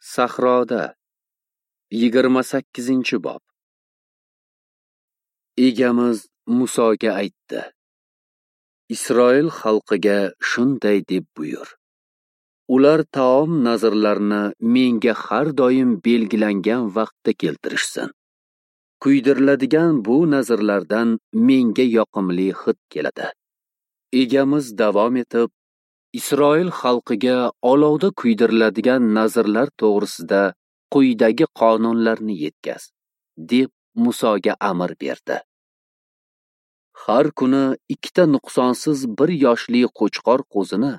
Sahroda 28-bob. Egamiz Musoga aytdi: Isroil xalqiga shunday deb buyur: Ular taom nazrlarini menga har doim belgilangan vaqtda keltirishsin. Kuydiriladigan bu nazrlardan menga yoqimli hid keladi. Egamiz davom etib, Isroil xalqiga olovda kuydiriladigan nazrlar to'g'risida quyidagi qonunlarni yetkaz, deb Musoga amr berdi. Har kuni ikkita nuqsonsiz 1 yoshli qo'chqor qo'zini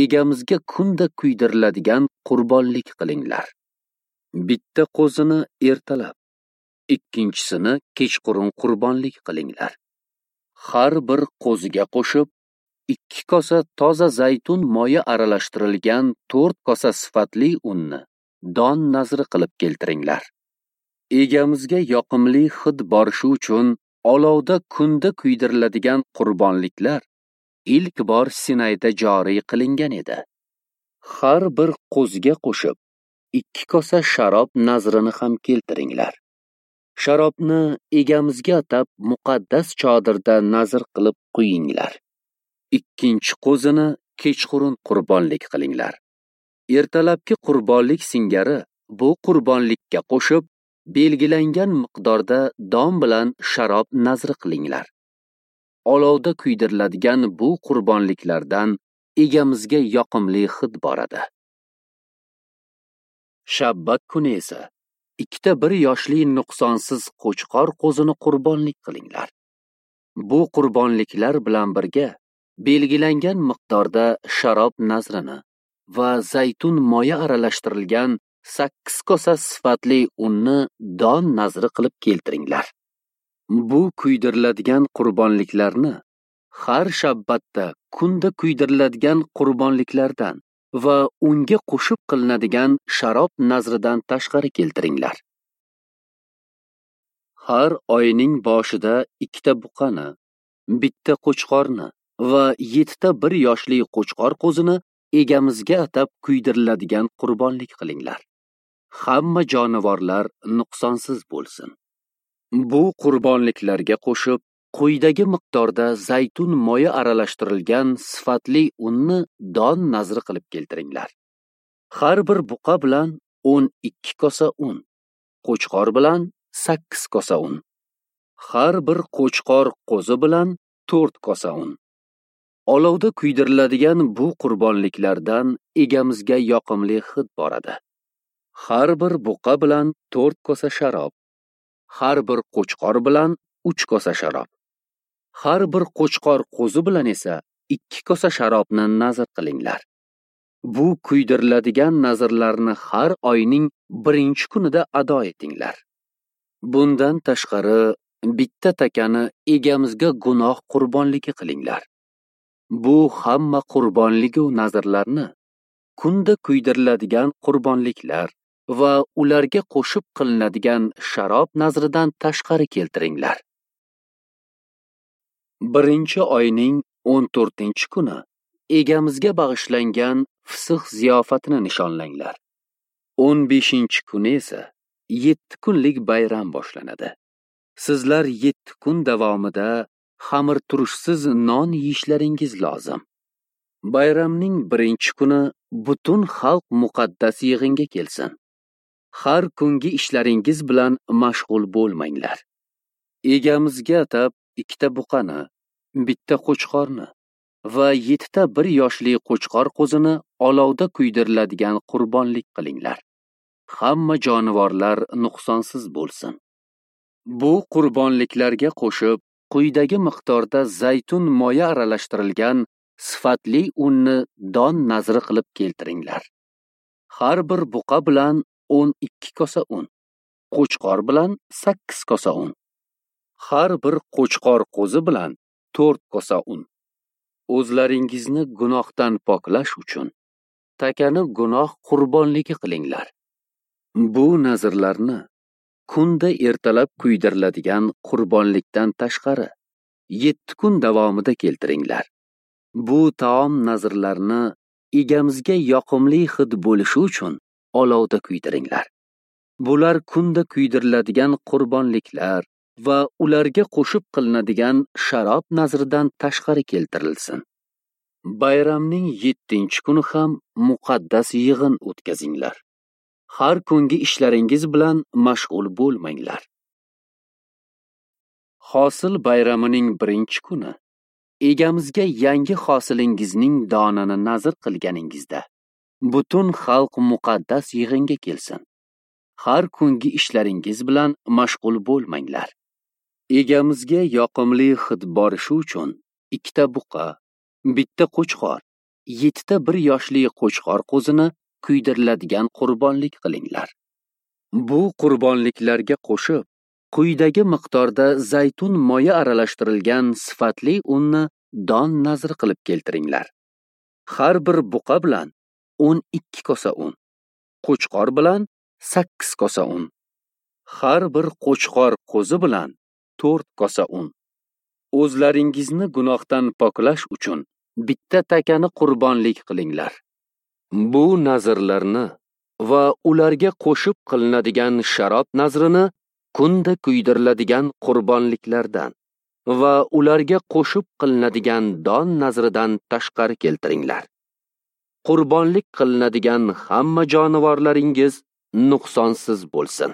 egamizga kunda kuydiriladigan qurbonlik qilinglar. Bitta qo'zini ertalab, ikkinchisini kechqurun qurbonlik qilinglar. Har bir qo'ziga qo'shib 2 kosa toza zaytun moyi aralashtirilgan 4 kosa sifatli unni don nazri qilib keltiringlar. Egamizga yoqimli hid borishi uchun olovda kunda kuydiriladigan qurbonliklar ilk bor Sinayda joriy qilingan edi. Har bir qo'ziga qo'shib 2 kosa sharob nazrini ham keltiringlar. Sharobni egamizga atab muqaddas chodirda nazr qilib quyinglar. Ikkinchi qo'zini kechqurun qurbonlik qilinglar. Ertalabki qurbonlik singari bu qurbonlikka qo'shib belgilangan miqdorda don bilan sharob nazri qilinglar. Olovda kuydiriladigan bu qurbonliklardan egamizga yoqimli hid boradi. Shabbat kuni esa ikkita 1 yoshli nuqsonsiz qo'chqor qo'zini qurbonlik qilinglar. Bu qurbonliklar bilan birga belgilangan miqdorda sharob nazrini va zaytun moyi aralashtirilgan 8 kosa sifatli unni don nazri qilib keltiringlar. Bu kuydiriladigan qurbonliklarni har shabbatda kunda kuydiriladigan qurbonliklardan va unga qo'shib qilinadigan sharob nazridan tashqari keltiringlar. Har oyning boshida ikkita buqani, bitta qo'chqorni va 7 ta 1 yoshli qo'chqor qo'zini egamizga atab kuydiriladigan qurbonlik qilinglar. Hamma jonivorlar nuqsonsiz bo'lsin. Bu qurbonliklarga qo'shib quyidagi miqdorda zaytun moyi aralashtirilgan sifatli unni don nazri qilib keltiringlar. Har bir buqa bilan 12 kosa un, qo'chqor bilan 8 kosa un, har bir qo'chqor qo'zi bilan 4 kosa un. Olovda kuydiriladigan bu qurbonliklardan egamizga yoqimli hid boradi. Har bir buqa bilan 4 kosa sharob, har bir qo'chqor bilan 3 kosa sharob, har bir qo'chqor qo'zi bilan esa 2 kosa sharobni nazr qilinglar. Bu kuydiriladigan nazrlarni har oyning 1-kunida ado etinglar. Bundan tashqari bitta takani egamizga gunoh qurbonligi qilinglar. Bu hamma qurbonligi nazrlarni kunda kuydiriladigan qurbonliklar va ularga qo'shib qilinadigan sharob nazridan tashqari keltiringlar. 1-oyning 14-kuni egamizga bag'ishlangan Fisix ziyofatini nishonlanglar. 15-kuni esa 7 kunlik bayram boshlanadi. Sizlar 7 kun davomida xamir turishsiz non yeyishlaringiz lozim. Bayramning 1-kuni butun xalq muqaddas yig'inga kelsin. Har kungi ishlaringiz bilan mashg'ul bo'lmanglar. Egamizga atab ikkita buqani, bitta qo'chqorni va 7 ta 1 yoshli qo'chqor qo'zini olovda kuydiriladigan qurbonlik qilinglar. Hamma jonivorlar nuqsonsiz bo'lsin. Bu qurbonliklarga qo'shib quyidagi miqdorda zaytun moyi aralashtirilgan sifatli unni don nazri qilib keltiringlar. Har bir buqa bilan 12 kosa un, qo'chqor bilan 8 kosa un, har bir qo'chqor qo'zi bilan 4 kosa un. O'zlaringizni gunohdan poklash uchun takani gunoh qurbonligi qilinglar. Bu nazrlarni kunda ertalab kuydiriladigan qurbonlikdan tashqari 7 kun davomida keltiringlar. Bu taom nazrlarini egamizga yoqimli hid bo'lishi uchun olovda kuydiringlar. Bular kunda kuydiriladigan qurbonliklar va ularga qo'shib qilinadigan sharob nazridan tashqari keltirilsin. Bayramning 7-kuni ham muqaddas yig'in o'tkazinglar. Har kungi ishlaringiz bilan mashg'ul bo'lmanglar. Hosil bayramining 1-kuni egamizga yangi hosilingizning donini nazr qilganingizda butun xalq muqaddas yig'inga kelsin. Har kungi ishlaringiz bilan mashg'ul bo'lmanglar. Egamizga yoqimli hid borishi uchun 2 ta buqa, 1 ta qo'chqor, 7 ta 1 yoshli qo'chqor qo'zini kuydiriladigan qurbonlik qilinglar. Bu qurbonliklarga qo'shib, quyidagi miqdorda zaytun moyi aralashtirilgan sifatli unni don nazr qilib keltiringlar. Har bir buqa bilan 12 kosa un, qo'chqor bilan 8 kosa un, har bir qo'chqor qo'zi bilan 4 kosa un. O'zlaringizni gunohdan poklash uchun bitta takani qurbonlik qilinglar. Bu nazrlarni va ularga qo'shib qilinadigan sharob nazrini kunda kuydiriladigan qurbonliklardan va ularga qo'shib qilinadigan don nazridan tashqari keltiringlar. Qurbonlik qilinadigan hamma jonivorlaringiz nuqsonsiz bo'lsin.